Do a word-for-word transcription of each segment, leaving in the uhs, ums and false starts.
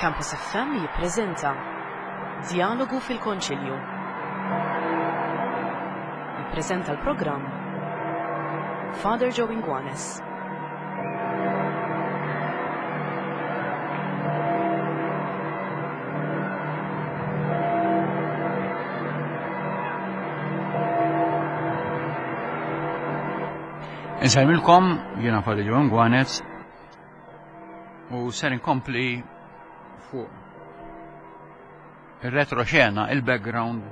Campus F M jippreżenta Djalogu fil-Konċilju. Jippreżenta l-programm Father Joe Inguanes. Insellmilkom, jiena Father Joe Inguanez u ser inkompli fuq il-retroxena, il-background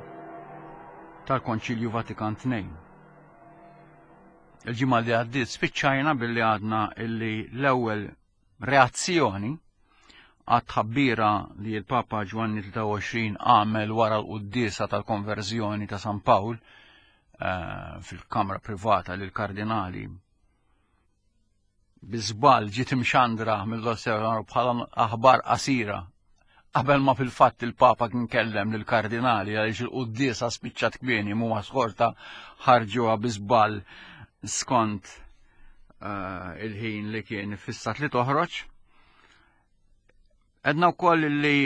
tal-Konċilju Vatikan tnejn. Il-ġimgħa li għaddiet spiċċajna billi għadna illi l-ewwel reazzjoni għat-tħabbira li l-Papa Ġwanni tlieta u għoxrin għamel wara l-quddiesa tal-konverżjoni ta' San Pawl, eh, fil-kamra privata lil kardinali bi żball ġiet imxandra mill-Osservatorju bħala aħbar qasira qabel ma fil-fatt il-Papa kien kellem lil kardinali għaliex il-quddiesa spiċċat kmieni mhuma skorta ħarġuha bi żball skont, eh, il-ħin li kien fissat li toħroġ. Edna wkoll li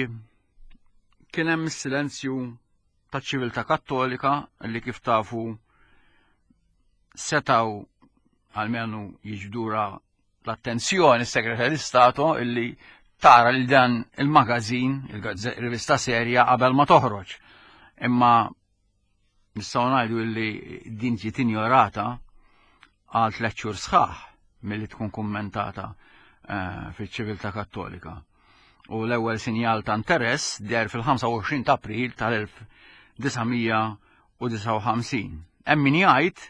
kien hemm is-silenzju taċ-ċiviltà Kattolika li kif tafu setaw almenu jiġdura l-attenzjoni s-Segretarju tal-Istato illi tara li dan il-magazin, il-rivista serja qabel ma toħroġ. Imma nistgħu ngħidu illi din ġiet injorata għal tliet xhur sħaħ milli tkun kummentata, eh, fiċ-ċiviltà Kattolika. U l-ewwel sinjal ta' interess deher fil-ħamsa u għoxrin ta' April tal-elf disa' mija u disgħa u ħamsin. Hemm min jgħid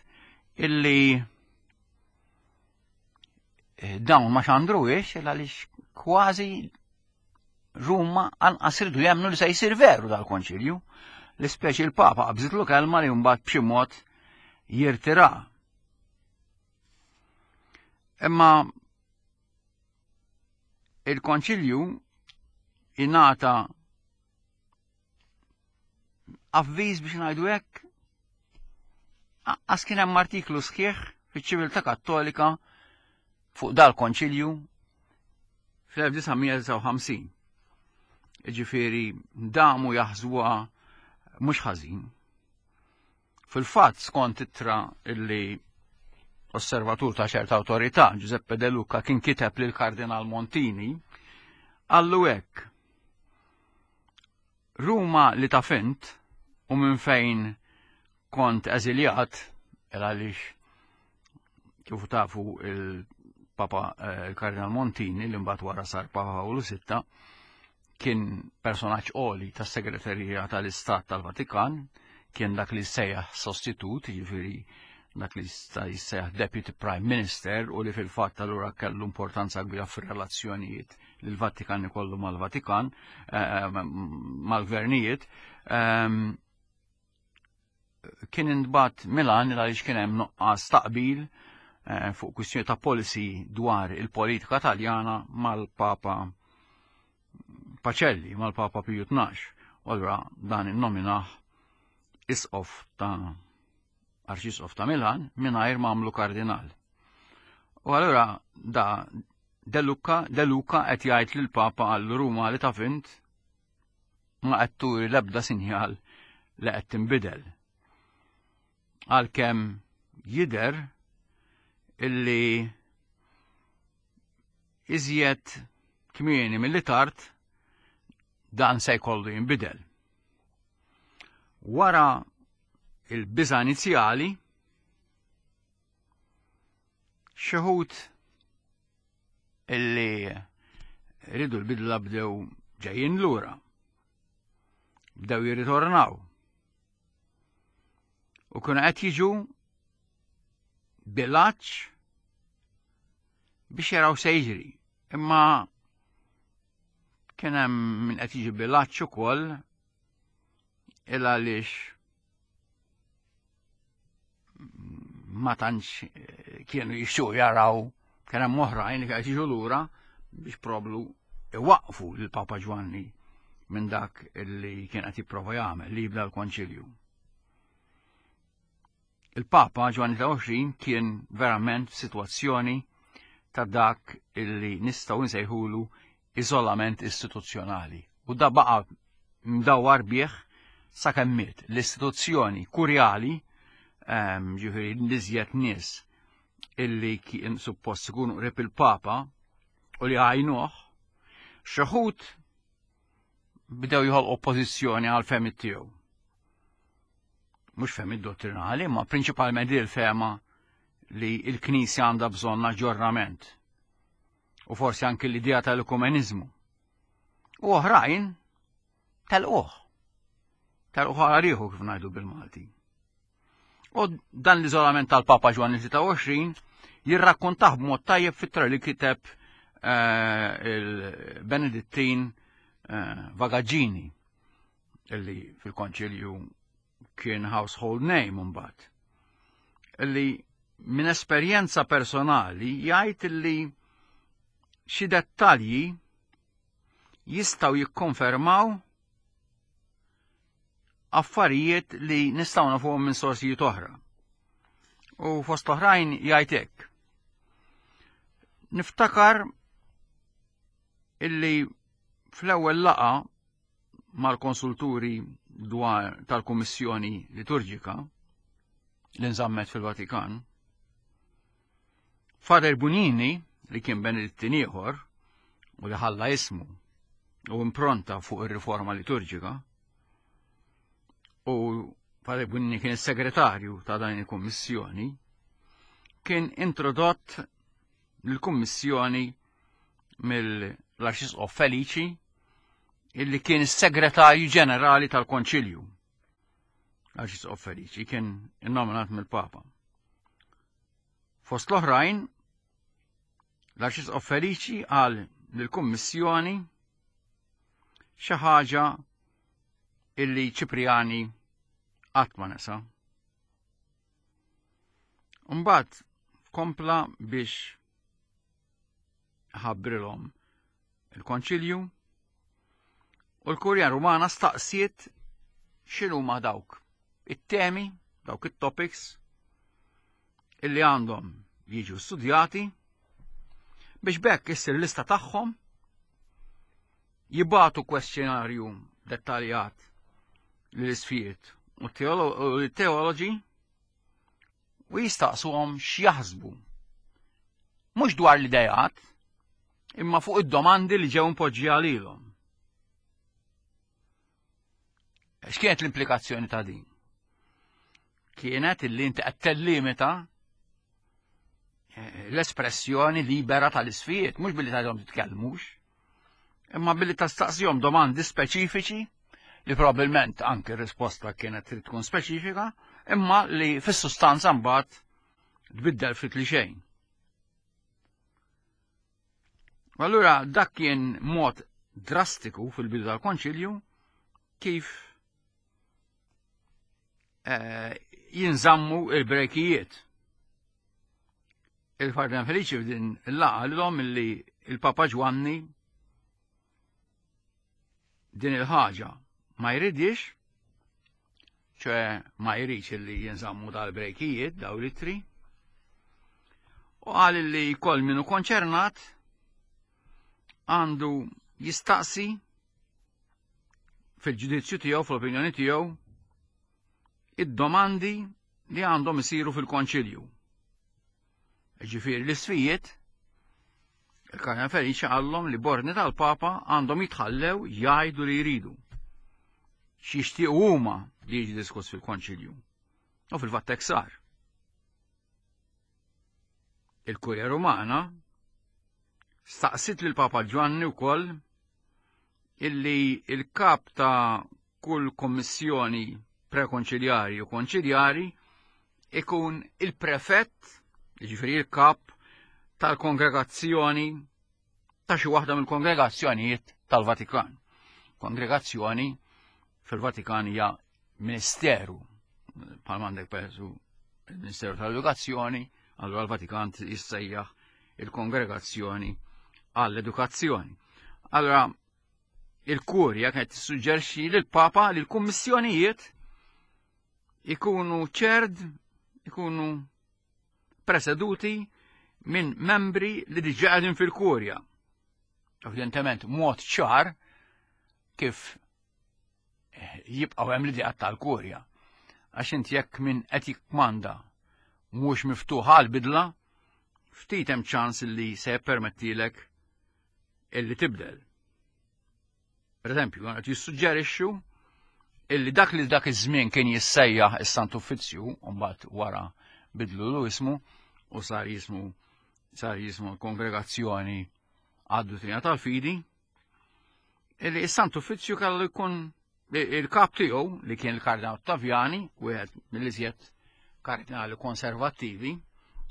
illi dawn ma xandruhiex għaliex kważi Ruma anqas iridu jemmnu li se jsir veru dal-konċilju. L-ispeċi l-Papa qabżitlu kelma li mbagħad b'xi mod jirtira. Imma il-konċilju ingħata avviż biex ngħidu hekk, anqas kien hemm artiklu sħiħ fiċ-ċiviltà Kattolika fuq dal-konċilju fl-elf disa' mija disgħa u ħamsin. Jiġifieri damu jaħsbuha mhux ħażin. Fil-fatt skont ittra illi osservatur ta' ċerta awtorità, Giuseppe De Luca, kien kiteb lil Kardinal Montini, qallu hekk: Ruma li taf int u minn fejn kont eżiljat, għaliex kif tafu il-Papa, eh, il-Kardinal Montini, li mbagħad wara sar Papa Pawlu sitta, kien personaġġ għoli tas-Segreterija tal-Istat tal-Vatikan, kien dak li sejjaħ sostitut, jiġifieri dak li sta jissejjaħ Deputy Prime Minister, u li fil-fatt allura kellu importanza kbira fir-relazzjonijiet li l-Vatikan ikollu mal-Vatikan, eh, mal-gvernijiet. Ehm, kien intbagħat Milan għaliex kien hemm nuqqas taqbil, eh, fuq kwistjoni ta' policy dwar il-politika Taljana mal-Papa Pacelli, mal-Papa Piju tnax. U allura dan innominah isqof ta' Arċisqof ta' Milan mingħajr ma għamlu kardinal. U allura da De Luca, De Luca qed jgħid lill-Papa għal Ruma li taf int ma qed turi l-ebda sinjal li qed tinbidel. Għalkemm jidher illi iżjed kmieni milli tard dan se jkollu jinbidel. Wara il-biża' inizjali, xi wħud illi ridu l-bidla bdew ġejjin lura, bdew jirritornaw. U kienu qed jiġu bilaċ biex jaraw se jiġri. Imma kien hemm min qed jiġi bilaċ ukoll il għaliex ma tantx kienu jixtiequ jaraw, kien hemm oħrajn li qed jiġu lura biex problu iwaqfu lil Papa Ġwanni minn dak li kien qed jipprova jagħmel li jibda l-konċilju. Il-Papa Ġwanni ta' għoxrin kien verament f'sitwazzjoni ta' dak illi nistgħu nsejħulu iżolament istituzzjonali. U da baqa mdawar bih sakemm miet. L-istituzzjoni kurjali, ehm, ġifieri l-iżjed nies illi kien suppost ikunu qrib il-Papa u li għajnuh, xi wħud bdew jħolqu oppożizzjoni għal fehmiet tiegħu. Mhux fehmiet dottrinali, ma prinċipalment il-fehma li l-Knisja għandha bżonn aġġornament. U forsi anki l-idea tal-ekumeniżmu. U oħrajn telquh. Telquh għal kif ngħidu bil-Malti. U dan l-iżolament tal-Papa Ġwanni tlieta u għoxrin jirrakkontah b'mod tajjeb fit-tra li kiteb eh, il-Benedittin eh, Vagaggini, illi fil-konċilju kien household name mbagħad. Illi minn esperjenza personali jgħid illi xi dettalji jistgħu jikkonfermaw affarijiet li nistgħu nafuhom minn sorsijiet oħra. U fost oħrajn jgħid hekk. Niftakar illi fl-ewwel laqgħa mal-konsulturi dwar tal-Kummissjoni Liturġika li nżammet fil-Vatikan, Father Bugnini, li kien Benedittin ieħor u li ħalla ismu u impronta fuq ir-riforma liturġika, u Father Bugnini kien is-segretarju ta' dan il-Kummissjoni, kien introdott lill-Kummissjoni mill-Arċisqof Felici, illi kien is-segretarju ġenerali tal-Konċilju. L-Arċisqof Felici kien innominat mill-Papa. Fost l-oħrajn, l-Arċisqof Felici qal lill-Kummissjoni xi ħaġa illi Ċipriani qatt ma nesa. Mbagħad kompla biex ħabbrilhom il-Konċilju u l-Kurja Rumana staqsiet x'inhuma dawk it-temi, dawk it-topics illi għandhom jiġu studjati biex bekk issir lista tagħhom, jibatu kwestjonarju dettaljat lill-isqfijiet u teoloġi u jistaqsuhom x'jaħsbu. Mhux dwar l-idejat, imma fuq id-domandi li ġew impoġġija lilhom. X'kienet l-implikazzjoni ta' din? Kienet illi inti qed tellimita l-espressjoni libera tal-isfijiet, mhux billi tgħidhom titkellmux, imma billi tastaqsihom domandi speċifiċi li probabbilment anke r-risposta kienet trid tkun speċifika, imma li fis-sustanza mbagħad tbiddel ftit li xejn. Allura dak kien mod drastiku fil-bidu tal-Konċilju kif eh, jinżammu il-brekijiet. Il-Kardinal Felici f'din il-laqgħa lilhom illi il-Papa Ġwanni din il-ħaġa ma jridix, ċe ma jridx illi jinżammu dal-brekijiet, daw l-ittri, u qal illi kol minu konċernat għandu jistaqsi fil-ġudizzju tiegħu, fl-opinjoni tiegħu, id-domandi li għandhom isiru fil-konċilju. Ġifieri l-isfijiet, il-Kardinal Felici qallhom li borni tal-Papa għandhom jitħallew jgħidu li jridu. X'jixtiequ huma li jiġi diskuss fil-konċilju. U fil-fatt hekk sar. Il-Kurja Rumana staqsit lil Papa Ġwanni wkoll illi il-kap ta' kull kommissjoni prekonċiljari u konċiljari ikun il-prefett, jiġifieri il-kap tal-kongregazzjoni ta' xi waħda mill-kongregazzjonijiet tal-Vatikan. Kongregazzjoni fil-Vatikan hija ministeru, bħal m'għandek pereżempju il-Ministeru tal-Edukazzjoni, allura l-Vatikan jissejjaħ il-Kongregazzjoni għall-Edukazzjoni. Allora il-Kurja kienet tissuġġerixxi lill-Papa li l-kummissjonijiet ikunu ċerd, ikunu preseduti minn membri li diġà qegħdin fil-Kurja. Evidentement, mod ċar kif jibqgħu hemm l-ideat tal-kurja. Għax inti jekk min qed jikkmanda mhux miftuħ għal bidla, ftit hemm ċans li se jippermettilek illi tibdel. Per eżempju, qed jissuġġerixxu illi dak li dak iż-żmien kien jissejjaħ is-Sant Uffizzju, u mbagħad wara bidlu ismu u sar jismu sar jismu Kongregazzjoni għad-Duttrina tal-Fidi, illi is-Sant Uffizzju kellu jkun il-kap tiegħu li kien il-Kardinal Ottaviani, wieħed mill-iżjed kardinali konservattivi,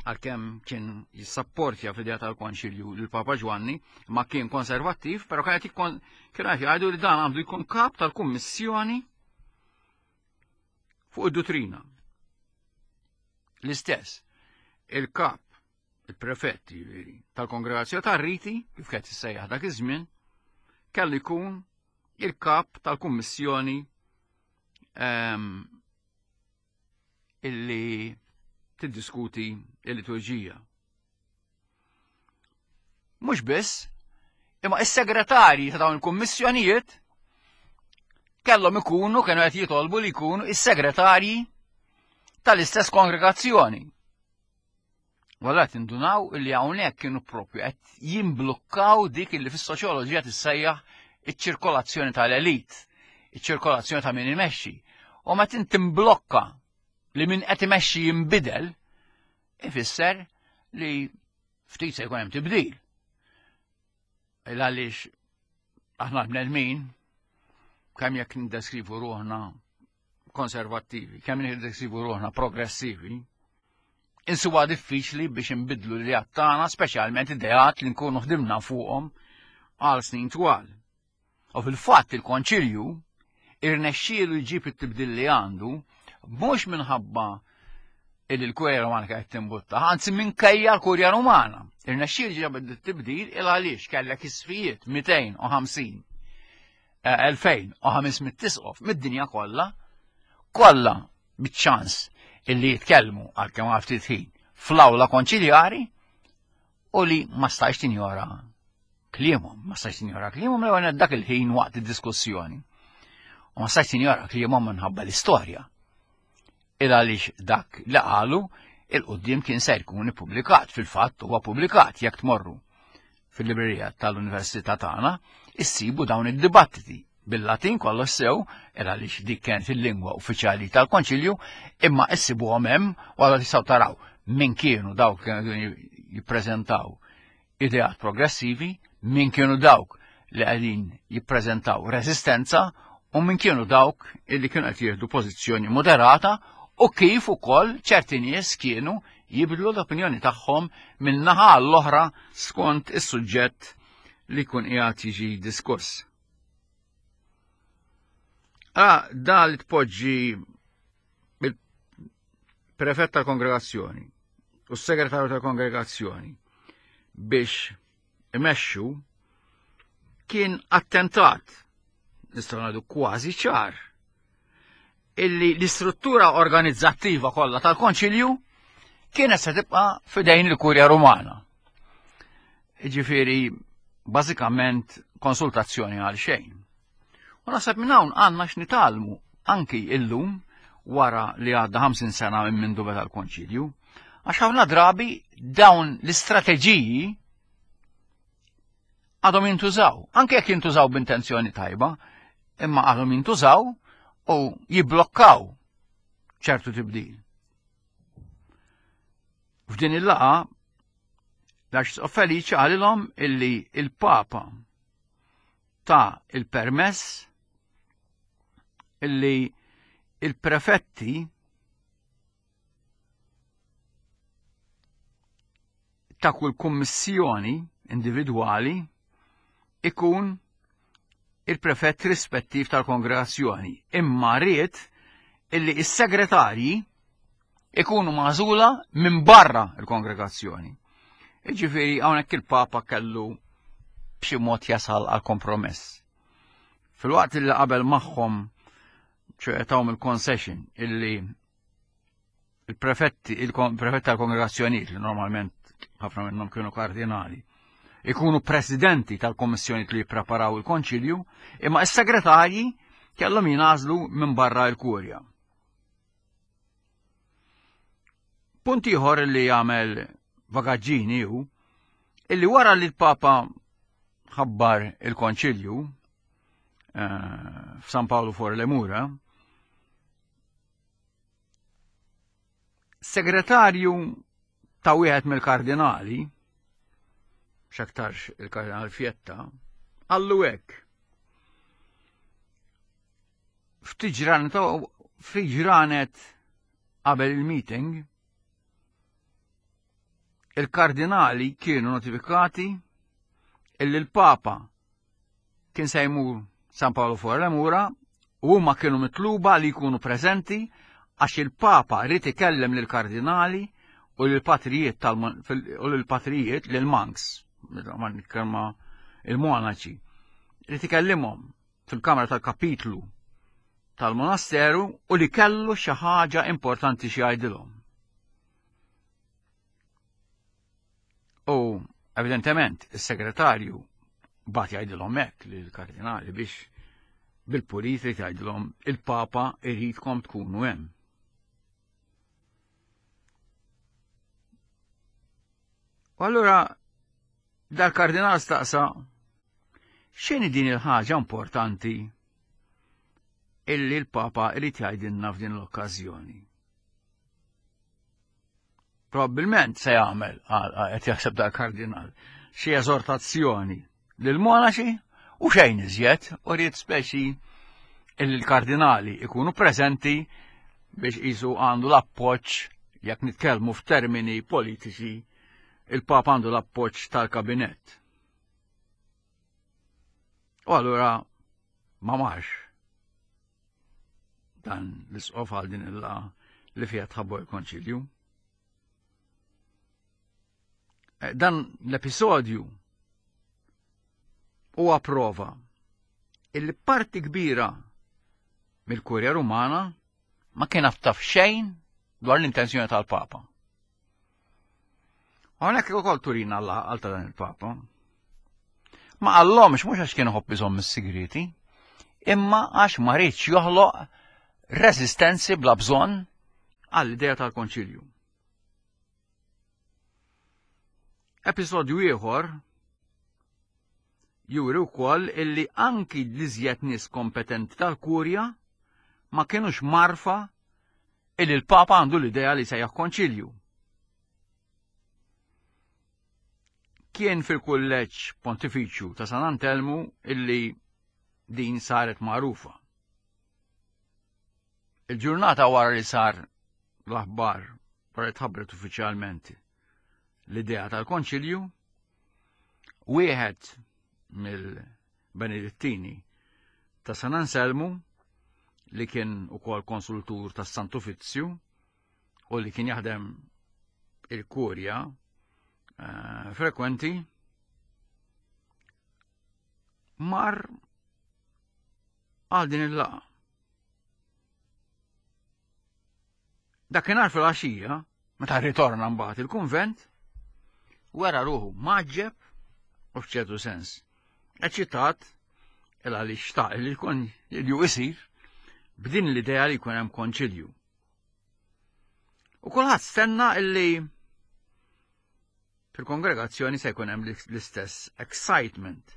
għalkemm kien jissapportja fl-idea tal-Konċilju lil Papa Ġwanni, ma kien konservattiv, però kien qed kienu qed jgħidu li dan għandu jkun kap tal-Kummissjoni fuq id-duttrina. L-istess, il-kap, il-prefett jiġifieri, tal-Kongregazzjoni tar-Riti, kif kienet tissejjaħ dak iż-żmien, kellu jkun il-kap tal-Kummissjoni ehm, illi tiddiskuti il-liturġija. Mhux biss, imma is-segretarji ta' dawn il-kummissjonijiet kellhom ikunu kienu qed jitolbu li jkunu is-segretarji tal-istess kongregazzjoni. Walla tindunaw illi hawnhekk kienu propju qed jimblukkaw dik illi fis-soċjoloġija tissejjaħ iċ-ċirkolazzjoni tal-elit, iċ-ċirkolazzjoni ta' min imexxi. U meta inti timblokka li min qed imexxi jinbidel, ifisser li ftit se jkun hemm tibdil. Il għaliex aħna bnedmin kemm jekk ndeskrivu ruħna konservattivi, kemm ndeskrivu ruħna progressivi, insuwa diffiċli biex nbidlu li tagħna, speċjalment ideat li nkunu ħdimna fuqhom għal snin twal. U fil-fatt il-Konċilju irnexxielu jġib it-tibdil li għandu mhux minħabba illi l-Kurja Rumana kienet timbutta, anzi minkejja l-Kurja Rumana. Irnexxielu ġab it-tibdil il għaliex kellek isqfijiet mitejn u ħamsin elfejn u ħames mitt isqof mid-dinja kollha, kollha biċ-ċans illi jitkellmu għal kemm ftit ħin fl-awla konċiljari u li ma stajx tinjora kliemhom, ma stajx tinjora kliemhom l dak il-ħin waqt id-diskussjoni. U ma stajx tinjora kliemhom minħabba l-istorja. Il għaliex dak li qalu il-qudiem kien se jkun ippubblikat, fil-fatt huwa pubblikat. Jekk tmorru fil-librerija tal-Università tagħna, issibu dawn id-dibattiti bil-Latin kollox sew, il għaliex dik kien fil-lingwa uffiċjali tal-Konċilju, imma issibuhom hemm u għalla tistgħu taraw min kienu dawk kienu jippreżentaw ideat progressivi, min kienu dawk li qegħdin jippreżentaw resistenza u min kienu dawk illi kienu qed jieħdu pożizzjoni moderata u kif ukoll ċerti nies kienu jibdlu l-opinjoni tagħhom minn naħa l-oħra skont is-suġġett li jkun qiegħed jiġi diskuss. Ah, da li tpoġġi il-prefett tal-kongregazzjoni u s-segretarju tal-kongregazzjoni biex imexxu kien attentat, nistgħu ngħidu kważi ċar, illi l-istruttura organizzattiva kollha tal-Konċilju kienet se tibqa' fidejn il-Kurja Rumana. Ġifieri, bażikament konsultazzjoni għal xejn. U naħseb minn hawn għandna x'nitgħallmu anki illum wara li għadda ħamsin sena minn mindu beda l-Konċilju, għax ħafna drabi dawn l-istrateġiji għadhom jintużaw, anke jekk jintużaw b'intenzjoni tajba, imma għadhom jintużaw u jiblokkaw ċertu tibdil. F'din il-laqgħa l-Arċisqof Feliċi qalilhom illi il-Papa ta il-permess illi il-prefetti ta' kull kummissjoni individwali ikun il-prefett rispettiv tal-kongregazzjoni, imma ried illi is-segretarji ikunu magħżula minn barra il-kongregazzjoni. Ġifieri hawnhekk il-Papa kellu b'xi mod jasal għal kompromess. Fil-waqt li qabel magħhom ċoè tawhom il-concession illi il-prefetti, il-prefetti tal-kongregazzjonijiet li normalment ħafna minnhom kienu kardinali, ikunu presidenti tal-kommissjoni li jippreparaw il-konċilju, imma s-segretarji kellhom jingħażlu minn barra l-kurja. Punt ieħor li jagħmel vagaġġini hu illi wara li l-Papa ħabbar il-konċilju eh, f'San Paolo fuori le Mura, segretarju ta' wieħed mill-kardinali, x'aktarx il-kardinal Fietta, qallu hekk. Ftit ġranet ftit ġranet qabel il-meeting, il-kardinali kienu notifikati illi l-Papa kien se jmur San Paolo fuori le Mura u huma kienu mitluba li jkunu preżenti għax il-Papa ried ikellem lill-kardinali u lill-patrijiet tal u lill-patrijiet lil-monks, ma nitkellma il-monaċi, ried ikellimhom fil-kamra tal-kapitlu tal-monasteru u li kellu xi ħaġa importanti xi jgħidilhom. U evidentement is-segretarju bat jgħidilhom hekk lill-kardinali biex bil-pulit irid jgħidilhom il-Papa iridkom tkunu hemm. U allura dal-kardinal staqsa x'inhi din il-ħaġa importanti illi l-Papa irid jgħidilna f'din l-okkażjoni. Probabbilment se jagħmel, qed jaħseb dal-kardinal, xi eżortazzjoni lill-monaċi u xejn iżjed, u ried speċi illi l-kardinali ikunu preżenti biex qisu għandu l-appoġġ, jekk nitkellmu f'termini politiċi, il-Papa għandu l-appoġġ tal-kabinett. U allura ma marx dan l-isqof għal din il-laqgħa li fiha tħabbu l-konċilju. Dan l-episodju huwa prova illi parti kbira mill-Kurja Rumana ma kien taf xejn dwar l-intenzjoni tal-Papa. Hawnhekk ukoll turina għal ta' dan il-Papa. Ma qallhomx mhux għax kien iħobb iżomm is-sigriti, imma għax ma riedx joħloq resistenzi bla bżonn għall-idea tal-konċilju. Episodju ieħor juri wkoll illi anki l-iżjed nies kompetenti tal-kurja ma kienux marfa illi l-Papa għandu l-idea li sejjaħ konċilju. Kien fil-kulleġġ pontifiċju ta' San Antelmu illi din saret magħrufa. Il-ġurnata wara li sar l-aħbar, wara li tħabbret uffiċjalment l-idea tal-konċilju, wieħed mill-Benedittini ta' San Anselmu, li kien ukoll konsultur tas Sant'Uffizzju u li kien jaħdem il-kurja eh, frekwenti, mar għal din il-laqgħa. Dakinhar fil-għaxija, meta ritorna mbagħad il-kunvent, wera ruħu maġġeb u f'ċertu sens eċitat il għaliex xtaq li jkun li isir b'din l-idea li jkun hemm konċilju. U kulħadd stenna illi fil-kongregazzjoni se jkun hemm l-istess excitement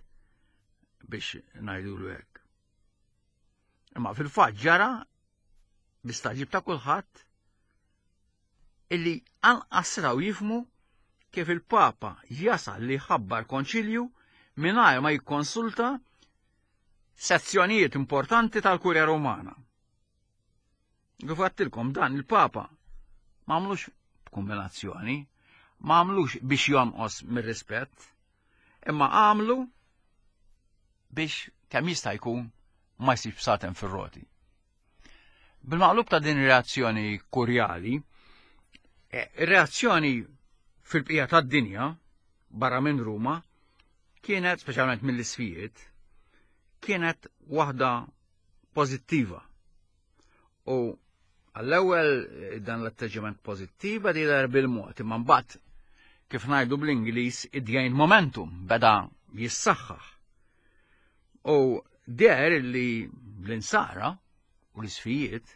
biex ngħidulu hekk. Imma fil-fatt ġara bistaġib ta' kulħadd illi anqas raw jifmu kif il-Papa jasal li ħabbar konċilju mingħajr ma jikkonsulta sezzjonijiet importanti tal-Kurja Rumana. Kif għedtilkom dan il-Papa ma għamlux b'kombinazzjoni, ma għamlux biex jonqos mir-rispett, imma għamlu biex kemm jista' jkun ma jsib satem fir-roti. Bil-maqlub ta' din reazzjoni kurjali, ir-reazzjoni fil-bqija tad-dinja barra minn Ruma kienet, speċjalment mill-isfijiet, kienet waħda pożittiva. U għall-ewwel dan l-atteġġament pożittiv beda jidher bil-mod, imma mbagħad kif ngħidu bl-Ingliż, id momentum, beda jissaħħaħ. U deher li l-insara u l-isfijiet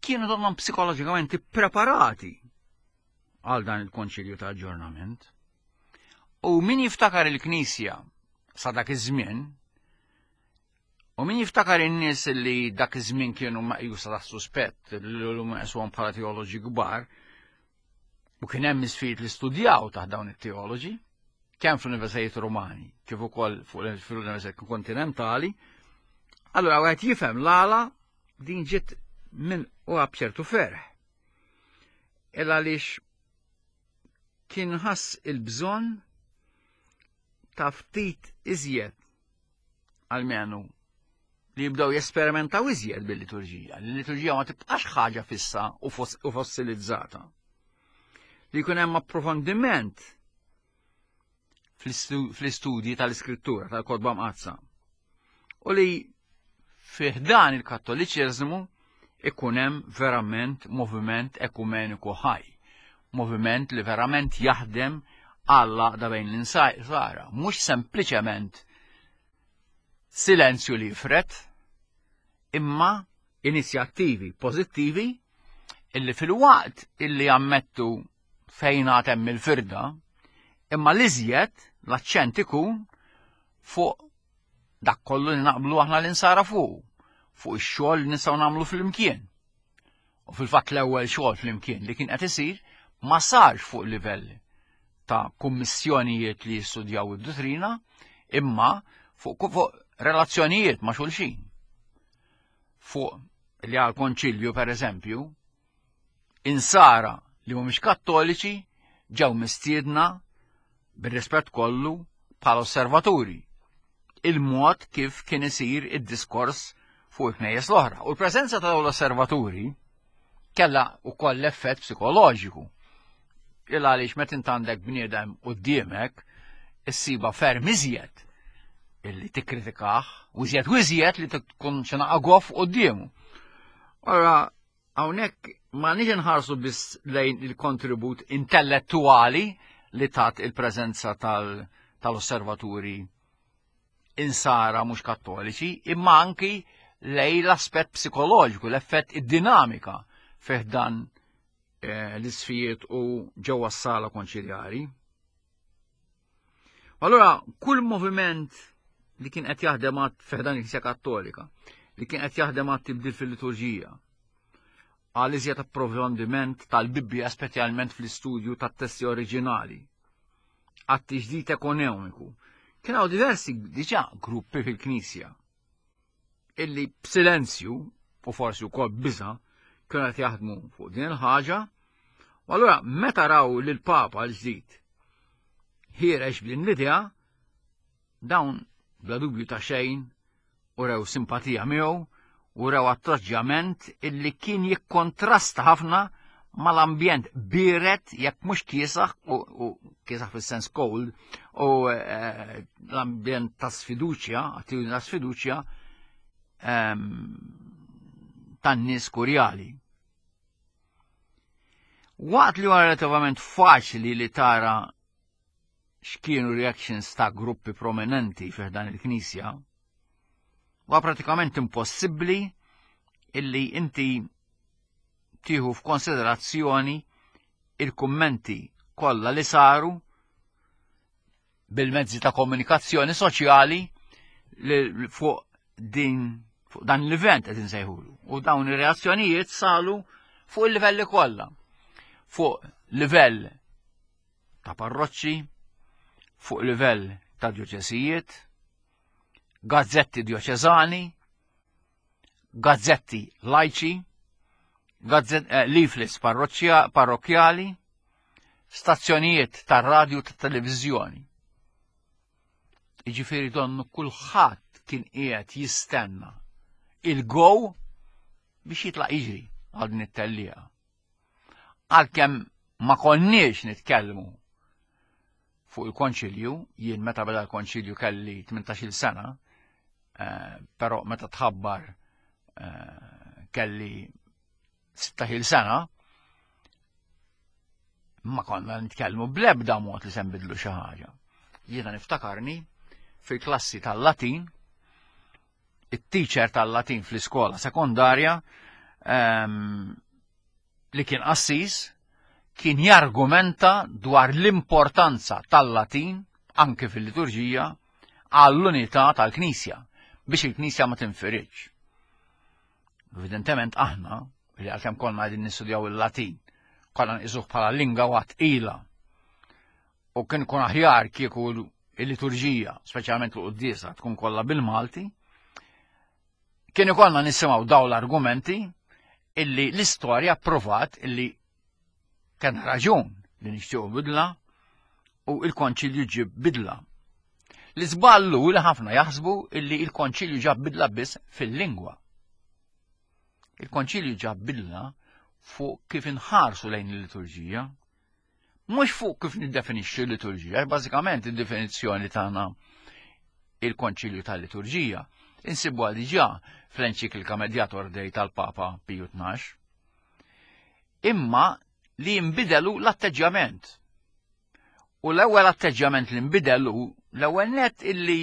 kienu donnhom psikoloġikament preparati għal dan il-konċilju ta' aġġornament. U min jiftakar il-Knisja sa dak iż-żmien, u min jiftakar in-nies li dak iż-żmien kienu meqjusa ta' suspett, li llum meqsuhom bħala teoloġi kbar, u kien hemm isfijiet li studjaw taħt dawn it-teoloġi, kemm fl-Universitajiet Rumani kif ukoll fl-Universitajiet Kontinentali, allura wieħed jifhem l-għala din ġiet minn u b'ċertu ferħ. Il għaliex kien ħass il-bżonn ta' ftit iżjed almenu li jibdew jesperimentaw iżjed bil-liturġija. L-liturġija ma tibqax ħaġa fissa u fossilizzata. Li jkun hemm approfondiment fl-istudji tal-iskrittura tal-Kotba Mqaddsa. U li fih dan il-Kattoliċiżmu ikun hemm verament moviment ekumeniku ħaj, moviment li verament jaħdem għall-għaqda bejn l-insara, mhux sempliċement silenzju li jifred, imma inizjattivi pożittivi illi fil-waqt illi jammettu fejn hemm il-firda, imma l-iżjed l-aċċent ikun fuq dak kollu li naqblu aħna l-insara fuq, fuq ix-xogħol li nistgħu nagħmlu flimkien. U fil-fatt l-ewwel xogħol flimkien li kien qed isir ma sarx fuq livell ta' kummissjonijiet li jistudjaw id-dottrina, imma fuq, fuq relazzjonijiet ma' xulxin. Fuq li għal konċilju per eżempju, insara li mhumiex kattoliċi ġew mistiedna bir-rispett kollu bħala osservaturi. Il-mod kif kien isir id-diskors fuq il-knejjes l-oħra. U l-preżenza ta' dawn l-osservaturi kellha wkoll l-effett psikoloġiku. Il għaliex meta int għandek bniedem quddiemek issiba ferm iżjed illi tikkritikah u iżjed u iżjed li tkun xi naqa goff quddiemu. Ora hawnhekk ma nix nħarsu biss lejn il-kontribut intellettuali li tat il-preżenza tal-osservaturi insara mhux kattoliċi, imma anki lejn l-aspett psikoloġiku, l-effett id-dinamika fih dan eh, l-isfijiet u ġewwa s-sala konċiljari. Allora, kull moviment li kien qed jaħdem fih dan il-Knisja Kattolika, li kien qed jaħdem għat tibdil fil-liturġija, għal iżjed approfondiment tal-Bibbja speċjalment fl-istudju tat-testi oriġinali, għat tiġdid ekonomiku. Kien hawn diversi diġà gruppi fil-Knisja illi b'silenzju u forsi wkoll biża kienu qed jaħdmu fuq din il-ħaġa. U allura meta raw lil Papa l-ġdid ħiereġ b'din l-idea, dawn bla dubju ta' xejn u rew simpatija miegħu u rew atteġġjament illi kien jikkontrasta ħafna mal-ambjent biret jekk mhux kiesaħ u, u kiesaħ fis-sens cold u eh, l-ambjent ta' sfiduċja, attitudni ta' sfiduċja ehm, tan-nies kurjali. Waqt li huwa relativament faċli li tara x'kienu reactions ta' gruppi prominenti fih dan il-Knisja, huwa pratikament impossibbli illi inti tieħu f'konsiderazzjoni il-kummenti kollha li saru bil-mezzi ta' komunikazzjoni soċjali li fuq din fuq dan l-event qed insejħulu. U dawn ir-reazzjonijiet saru fuq il-livelli kollha. Fuq livell ta' parroċċi, fuq livell ta' djoċesijiet, gazzetti djoċeżani, gazzetti lajċi, gazzet, eh, leaflets parrokkjali, stazzjonijiet tar-radju ta' televiżjoni. Jiġifieri donnu kulħadd kien qiegħed jistenna il-go biex jitlaq jiġri għal din it-tellieqa. Għalkemm ma konniex nitkellmu fuq il-konċilju, jien meta beda l-konċilju kelli tmintax-il sena, eh, però meta tħabbar eh, kelli sittax-il sena, Ma konna nitkellmu bl-ebda mod li se nbidlu xi ħaġa. Jiena niftakarni fil-klassi tal-Latin, it-teacher tal-Latin fl-iskola sekondarja um, li kien qassis kien jargumenta dwar l-importanza tal-Latin anke fil-liturġija għall-unità tal-Knisja biex il-Knisja ma tinfiridx. Evidentement aħna, li għalkemm konna qegħdin nistudjaw il-Latin, konna nqisuh bħala lingwa tqila. U kien kun aħjar kieku il-liturġija, speċjalment l-quddiesa, tkun kollha bil-Malti, kien ikollna nisimgħu daw l-argumenti illi l-istorja provat illi kien raġun li nixtiequ bidla u il-konċilju ġib bidla. L-iżballu li ħafna jaħsbu illi il-konċilju ġab bidla biss fil-lingwa. Il-konċilju ġab bidla fuq kif inħarsu lejn il-liturġija, mhux fuq kif niddefinixxu l-liturġija, bażikament id-definizzjoni tagħna il-konċilju tal-liturġija insibuha diġà fl-enċiklika Mediator Dei tal-Papa Piju Tnax. Imma li jinbidelu l-atteġġjament. U l-ewwel atteġġjament li nbidelu, l-ewwel net illi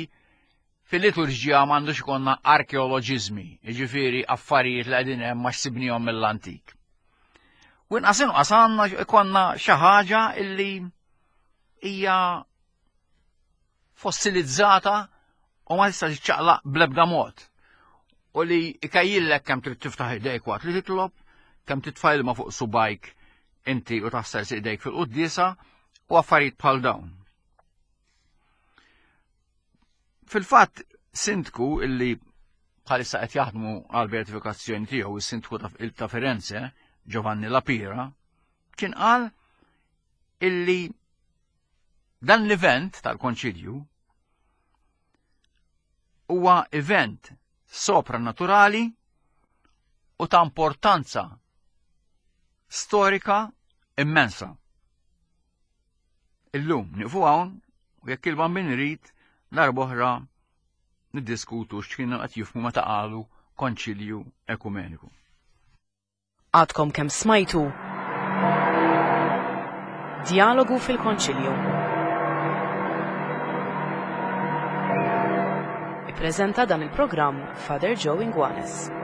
fil-liturġija m'għandux ikollna arkeoloġiżmi, jiġifieri affarijiet li qegħdin hemm ma xsibnihom mill-antik. U inqas inqas għandna ikollna xi ħaġa illi hija fossilizzata u ma tistax tiċċaqlaq bl-ebda mod. U li ikajjillek kemm trid tiftaħ idejk waqt li titlob, kemm titfa' ilma fuq subajk inti u taħsel idejk fil-quddiesa u affarijiet bħal dawn. Fil-fatt, sindku illi bħalissa qed jaħdmu għal beatifikazzjoni tiegħu, is-sindku ta' Firenze, Giovanni La Pira, kien qal illi dan l-event tal-konċilju huwa event sopranaturali u ta' importanza storika immensa. Illum nieqfu hawn u jekk il-Bambin irid darb'oħra niddiskutu x'kienu qed jifhmu meta qalu konċilju ekumeniku. Għadkom kemm smajtu Djalogu fil-Konċilju. Ippreżenta dan il-programm Father Joe Inguanes.